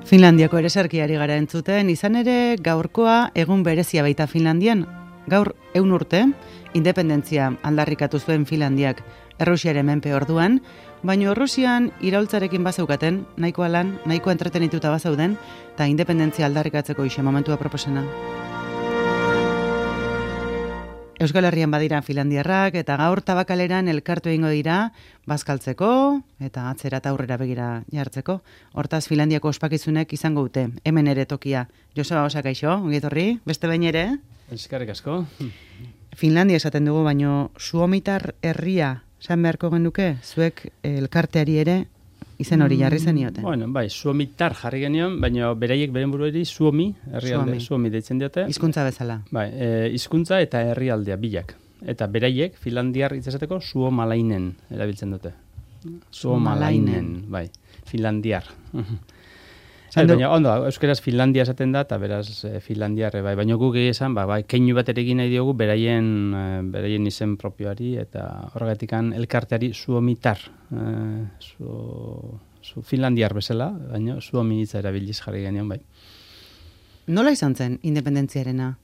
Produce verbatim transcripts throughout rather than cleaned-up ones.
Finlandiako ereserkiari gara entzuten, izan ere gaurkoa egun berezia baita Finlandian. Gaur ehun urte, independentzia aldarrikatu zuen Finlandiak Errusiaren menpe orduan, baina Errusian iraultzarekin bazeukaten, nahikoa lan, nahikoa entretenituta bazauden, eta independentzia aldarrikatzeko ixe momentua proposena. Euskal Herrian badira finlandiarrak eta gaur tabakaleran elkartu egingo dira bazkaltzeko eta atzera eta aurrera begira jartzeko. Hortaz Finlandiako ospakizunek izango dute. Hemen ere tokia. Joseba Osa, kaixo, ongi etorri, beste behin ere. Eskerrik asko. Finlandia esaten dugu, baino Suomitar herria esan beharko genuke, zuek elkarteari ere izen hori jarri zenioten. Bueno, bai, Suomitar jarri genion, baina beraiek beren buruari Suomi, herrialde, Suomi deitzen diote. Hizkuntza bezala. Bai, e, hizkuntza eta herrialdea bilak. Eta beraiek Finlandiar itzesateko Suomalainen erabiltzen dute. Suomalainen, bai, Finlandiar. Zai, baina ondo, euskaraz Finlandia esaten da, eta beraz eh, Finlandiarre, bai, baina guk esan, ba, bai, keinu bat ere egin nahi diogu beraien, eh, beraien izen propioari, eta horregatikan elkarteari Suomitar, eh, su, su Finlandiar bezala, baina Suomi hitza erabiliz jarri genion, bai. Nola izan zen independentziarena?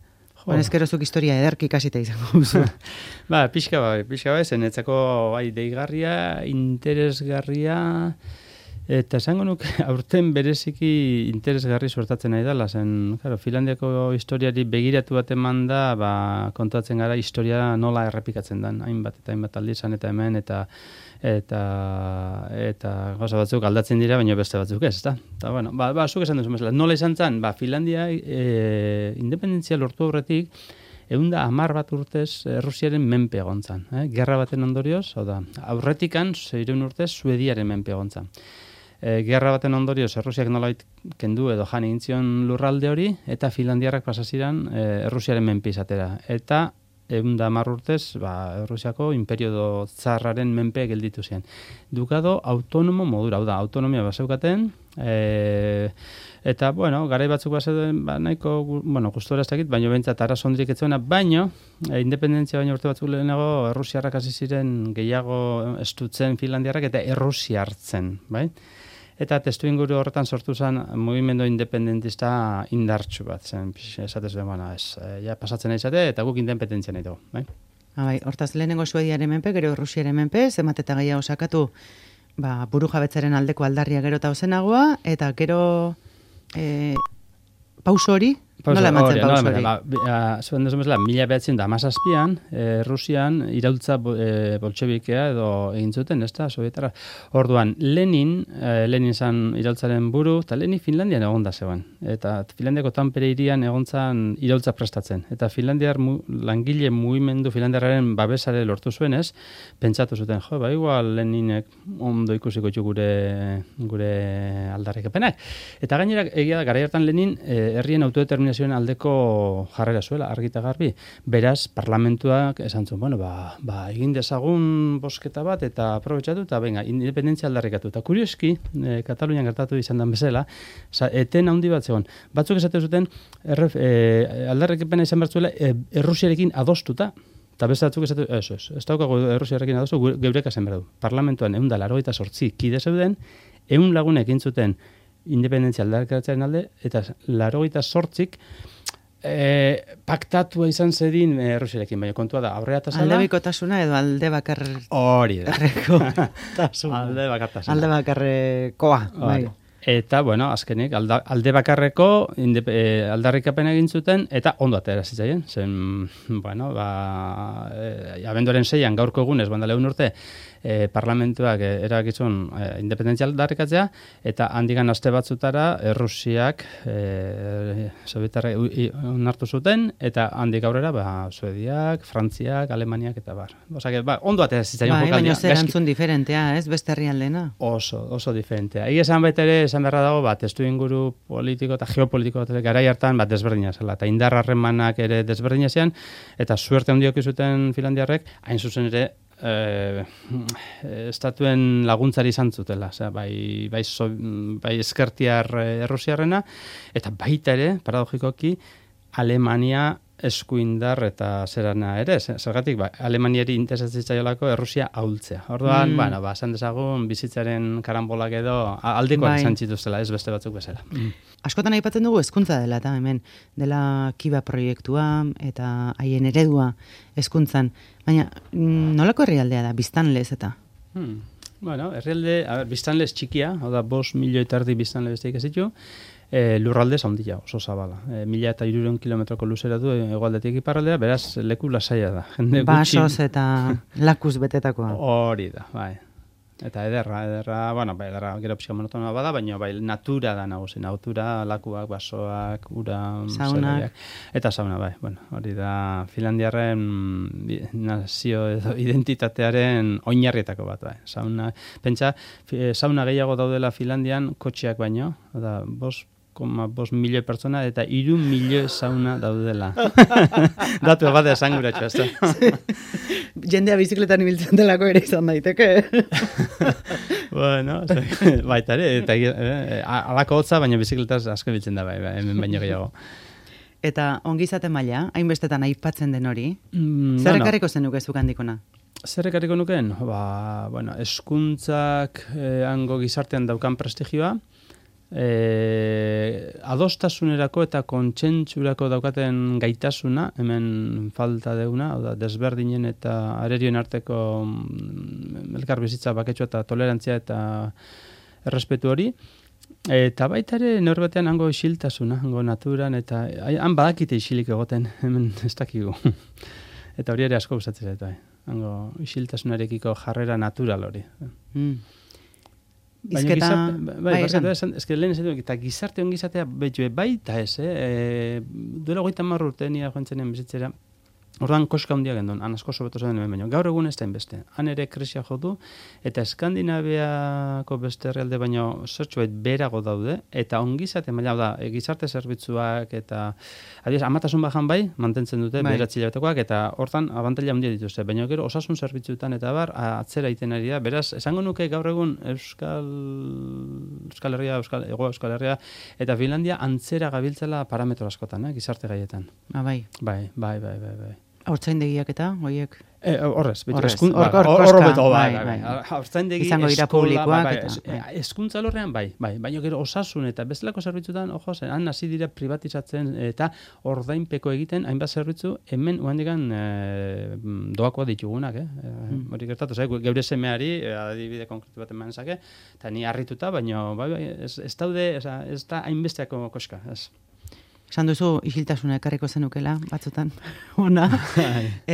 Jo. Ezkerozuk historia ederki kasita izango duzu. Ba, pixka bai, pixka bai, zen etzako bai, deigarria, interesgarria. Eta esango nuke aurten bereziki interesgarri suertatzen nahi dela, zen, claro, Finlandiako historiari begiratu bat eman da, ba, kontatzen gara historia nola errepikatzen den, hainbat eta hainbat aldi izan eta hemen, eta eta eta gauza batzuk aldatzen dira, baina beste batzuk ez, da? Eta, bueno, ba, ba, zuk esan duzu mesela, nola izan zen, ba, Finlandia e, independentzia lortu aurretik, ehun da hamar bat urtez Errusiaren menpe egon zan. Eh? Gerra baten ondorioz, hau da, aurretikan, seiehun urtez, Suediaren menpe egon zan. E, gerra baten ondorioz, Errusiak nolait kendu edo jan egin zion lurralde hori, eta Finlandiarrak pasaziran e, Errusiaren menpe izatera. Eta ehun da hamar urtez, ba, Errusiako imperio tsarraren menpe gelditu ziren. Dukado autonomo modura, hau da, autonomia baseukaten, e, eta, bueno, garai batzuk bazeuden, ba, nahiko, bueno, gustora ez dakit, baina bentsat arazondrik etzuena, baina, e, independentzia baina urte batzuk lehenago, Errusiarrak hasi ziren gehiago estutzen Finlandiarrak eta Errusia hartzen, bai? Eta testu inguru horretan sortu zen mugimendu independentista indartsu bat, zen, esatez den, bueno, ez, ja pasatzen nahi zate, eta guk independentzia nahi dugu, bai? Ah, bai, hortaz lehenengo Suediaren menpe, gero Errusiaren menpe, zenbat eta gehiago sakatu, ba, buru jabetzaren aldeko aldarria gero eta ozenagoa, eta gero e, pauso hori, nola ematzen pauso hori? Ba, zuen dezu bezala, mila behatzen da amazazpian, e, Rusian iraultza e, boltxebikea edo egin zuten, ez da, Sovietarra. Orduan, Lenin, e, Lenin zan iraultzaren buru, eta Lenin Finlandian egon da zegoen. Eta Finlandiako Tampere hirian egon zan iraultza prestatzen. Eta Finlandiar mu, langile mugimendu Finlandiarraren babesare lortu zuen ez, pentsatu zuten, jo, ba, igual Leninek ondo ikusiko txu gure, gure aldarrikapenak. Eta gainera, egia da, garai hartan Lenin, e, herrien autodeterminazioa aldeko jarrera zuela, argita garbi. Beraz, parlamentuak esan zuen, bueno, ba, ba, egin dezagun bosketa bat eta aprobetxatu eta venga, independentzia aldarrikatu. Eta kurioski, e, Katalunian gertatu izan den bezala, sa, eten handi bat zegoen. Batzuk esate zuten, erref, e, aldarrikapena izan bertzuela, e, Errusiarekin adostuta, eta beste batzuk esate, ez, ez, ez daukago Errusiarekin adostu, geureka zen berdu. Parlamentuan ehun da laurogeita zortzi kide zeuden, ehun lagunek intzuten independentzia aldarrikatzearen alde, eta laurogeita zortzik e, paktatua izan zedin Errusiarekin, baina kontua da, aurrera tasala... Aldebikotasuna edo alde bakar... Hori da. Alde bakartasuna. Alde bakarrekoa, bai. Eta, bueno, azkenik, alda, alde bakarreko inde, e, aldarrikapena egin zuten, eta ondo atera zitzaien. Zen, bueno, ba, e, abenduaren seian gaurko egunez, banda lehun urte, e, parlamentuak e, erakitzun e, independentzia aldarrikatzea, eta handigan aste batzutara Errusiak e, Sovietarra onartu zuten, eta handik aurrera, ba, Suediak, Frantziak, Alemaniak, eta bar. Osea, ba, ondo atera zitzaien bai, jokaldia. Baina zer antzun diferentea, ez, beste herrialdena? Oso, oso diferentea. Ia esan baita ere, esan beharra dago, bat, testu inguru politiko eta geopolitiko bat garai hartan, bat, desberdina zela, eta indar harremanak ere desberdina zian, eta suerte handiok izuten Finlandiarrek, hain zuzen ere, eh, estatuen laguntzari izan zutela, osea, bai, bai, so, bai eskertiar Errusiarrena, eta baita ere, paradogikoki, Alemania eskuindar eta zerana ere, zergatik, ba, Alemaniari interesatzaiolako Errusia ahultzea. Orduan, mm. bueno, ba, esan dezagun bizitzaren karambolak edo aldekoak izan zituztela, ez beste batzuk bezala. Mm. Askotan aipatzen dugu hezkuntza dela, eta hemen, dela Kiba proiektua eta haien eredua hezkuntzan. Baina, nolako herrialdea da, biztanlez eta? Hmm. Bueno, herrialde, a ber, biztanlez txikia, hau da, bost milioi eta erdi biztanle besteik ez ditu, e, lurralde zaundia, oso zabala. E, mila eta irureun kilometroko luzera du hegoaldetik iparraldera, beraz, leku lasaia da. Jende Basoz eta lakuz betetakoa. Hori da, bai. Eta ederra, ederra, bueno, bai, ederra gero pixka monotona bada, baina bai, natura da nagusi, natura, lakuak, basoak, ura, saunak. Eta sauna, bai, bueno, hori da Finlandiarren nazio edo identitatearen oinarrietako bat, bai. Sauna, pentsa, sauna gehiago daudela Finlandian kotxeak baino, da, bos, koma bost milioi pertsona eta hiru milioi sauna daudela. Datu bat esanguratxo, ez da. Jendea bizikletan ibiltzen delako ere izan daiteke. Bueno, baita ere, eta eh, alako hotza, baina bizikletaz asko biltzen da, bai, bai, hemen baino gehiago. Eta ongizate maila, hainbestetan aipatzen den hori, mm, zer no, ekarriko zenuke zuk handikona? Zer ekarriko nuken? Ba, bueno, eskuntzak eh, hango gizartean daukan prestigioa, E, adostasunerako eta kontsentsurako daukaten gaitasuna, hemen falta deuna, oda, desberdinen eta arerioen arteko mm, elkar bizitza baketsua eta tolerantzia eta errespetu hori. Eta baita ere norbatean hango isiltasuna, hango naturan, eta han badakite isilik egoten, hemen ez dakigu. Eta hori ere asko gustatzen zait, bai. Hango isiltasunarekiko jarrera natural hori. Mm. Baina Izketa, gizarte, bai, bai, esan. esan, eske lehen esan, eta gizarte ongizatea betxue, bai eta ez, eh? E, duela goita marru urte nia joan zenen bizitzera, orduan koska handia gendun, han asko sobeto zen hemen baino. Gaur egun ez da inbeste, han ere krisia jo du, eta Eskandinaviako beste herrialde baino zertxuet berago daude, eta ongizate maila da, e, gizarte zerbitzuak, eta adiez, amatasun bajan bai, mantentzen dute, bai. Beratzi hilabetekoak, eta hortan abantaila handia dituzte, baina gero osasun zerbitzuetan eta bar, atzera egiten ari da, beraz, esango nuke gaur egun Euskal Euskal Herria, Euskal, Ego Euskal Herria, eta Finlandia antzera gabiltzela parametro askotan, eh, gizarte gaietan. Ah, bai. Bai, bai, bai, bai, bai. Haurtzaindegiak eta, hoiek? E, horrez, beti, Horrez, eskun, hor- ba, hor- hor- koska, horbeto, bai, bai, bai, bai. Haurtzaindegi, Izango dira eskola, publikoak bai, eta, bai, bai. hezkuntza alorrean bai, bai, baina gero osasun eta bestelako zerbitzutan, ojo, zen, han hasi dira privatizatzen eta ordainpeko egiten hainbat zerbitzu hemen uhandikan e, doakoa ditugunak, eh? Mm. Hori gertatu, zai, geure semeari, e, adibide konkretu bat eman zake, eta ni harrituta, baina bai, bai, ez, ez daude, ez, ez da hainbesteako koska, ez. Esan duzu isiltasuna ekarriko zenukela, batzutan, ona.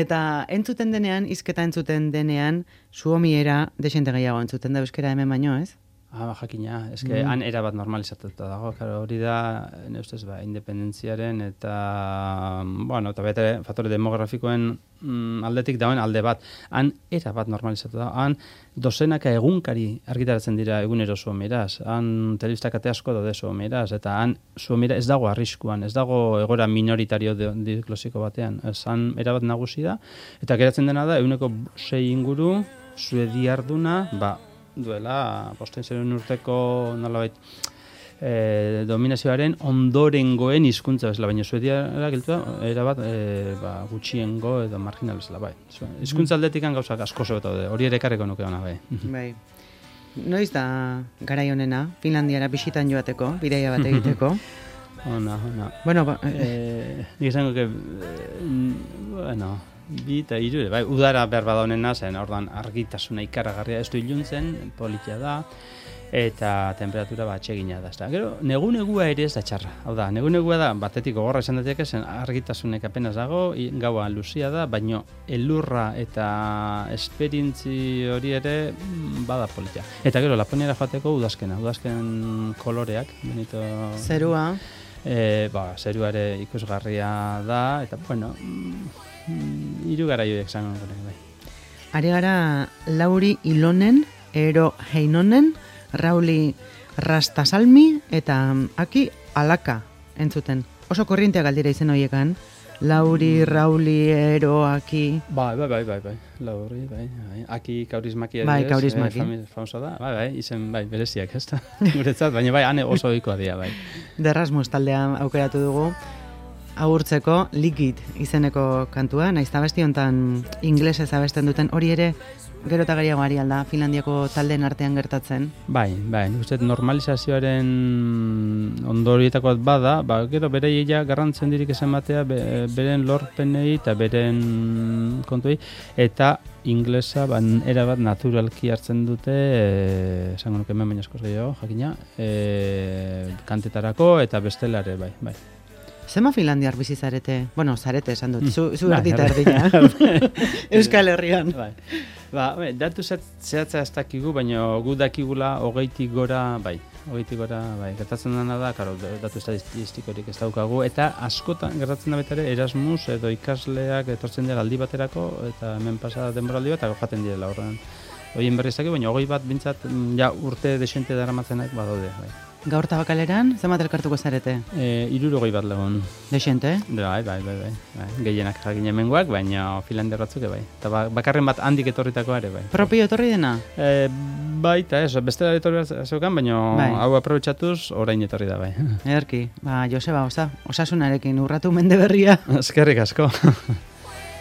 Eta entzuten denean, hizketa entzuten denean, suomiera desente gehiago entzuten da euskera hemen baino, ez? Ah, jakina, eske mm. han era bat normalizatuta dago, claro, hori da, ne ustez, ba, independentziaren eta, bueno, eta bete faktore demografikoen mm, aldetik dauen alde bat. Han era bat normalizatuta da, han dozenaka egunkari argitaratzen dira egunero suomieraz, han telebistak ate asko daude suomieraz, eta han suomiera ez dago arriskuan, ez dago egoera minoritario diklosiko batean, ez han era bat nagusi da, eta geratzen dena da, eguneko sei inguru, suediarduna, ba, duela, bosten zeren urteko nolabait e, dominazioaren ondorengoen hizkuntza bezala, baina suediara giltua, erabat e, ba, gutxiengo edo marginal bezala, bai. Hizkuntza aldetikan gauzak asko zobeto daude, hori ere ekarriko nuke ona, bai. Bai. Noiz da garai honena, Finlandiara bisitan joateko, bidaia bat egiteko? Ona, ona. Bueno, ba, eh, nik esango que, eh, bueno, bi eta hiru, bai, udara behar bada honena, zen ordan argitasuna ikaragarria, ez du iluntzen, politia da, eta temperatura bat atsegina da. Ezta. Gero, negu-negua ere ez da txarra. Hau da, negu-negua da, batetik gogorra esan daiteke, zen argitasunek apenas dago, gaua luzia da, baino elurra eta esperientzi hori ere bada politia. Eta gero, Laponiara joateko udazkena, udazken koloreak, benito... Zerua. E, ba, zerua ere ikusgarria da, eta, bueno... Hiru garaioek zango bai. Ari gara Lauri Ilonen, Ero Heinonen, Rauli Rastasalmi eta Aki Alaka entzuten. Oso korrientea galdira izen horiekan. Lauri, Rauli, Ero, Aki... Bai, bai, bai, bai, bai. Lauri, bai, bai. Aki kaurismaki bai, kaurismaki. Eh, famoso da, bai, bai, izen, bai, bereziak, ez da, guretzat, baina bai, ane oso ohikoa dira, bai. De Erasmus taldea aukeratu dugu. agurtzeko Liquid izeneko kantua, naiz abesti hontan inglesez abesten duten, hori ere gero eta gehiago ari alda Finlandiako taldeen artean gertatzen. Bai, bai, nik uste normalizazioaren ondorietako bat bada, ba, gero berei ja garrantzen dirik esan batea, be, beren lorpenei eta beren kontuei, eta inglesa ban, erabat naturalki hartzen dute, e, esango nuke hemen baina askoz gehiago, jakina, e, kantetarako eta bestelare, bai, bai. Zema Finlandiar bizi zarete? Bueno, zarete esan dut, zu, zu erdita erdina. Euskal Herrian. Bai. Ba, bai, datu zehatza ez dakigu, baina gu dakigula hogeitik gora, bai, hogeitik gora, bai, gertatzen dena da, karo, datu estatistikorik ez daukagu, eta askotan gertatzen da betare Erasmus edo ikasleak etortzen dira aldi baterako, eta hemen pasa denboraldi bat, eta jaten direla horren. Horien berri ez dakigu, baina hogei bat bintzat, ja, urte desente daramatzenak badaude, bai. Gaur tabakaleran, zenbat elkartuko zarete? E, irurogei bat lagun. Desente? Bai, bai, bai, bai, bai. Gehienak jakin hemengoak, baina Finlandiar batzuke bai. Eta ba, bakarren bat handik etorritakoa ere bai. Propio etorri dena? E, bai, eta ez, beste etorri zeukan, baina bai. Hau aprobetxatuz orain etorri da bai. Ederki, ba, Joseba, osa, osasunarekin urratu mende berria. Eskerrik asko.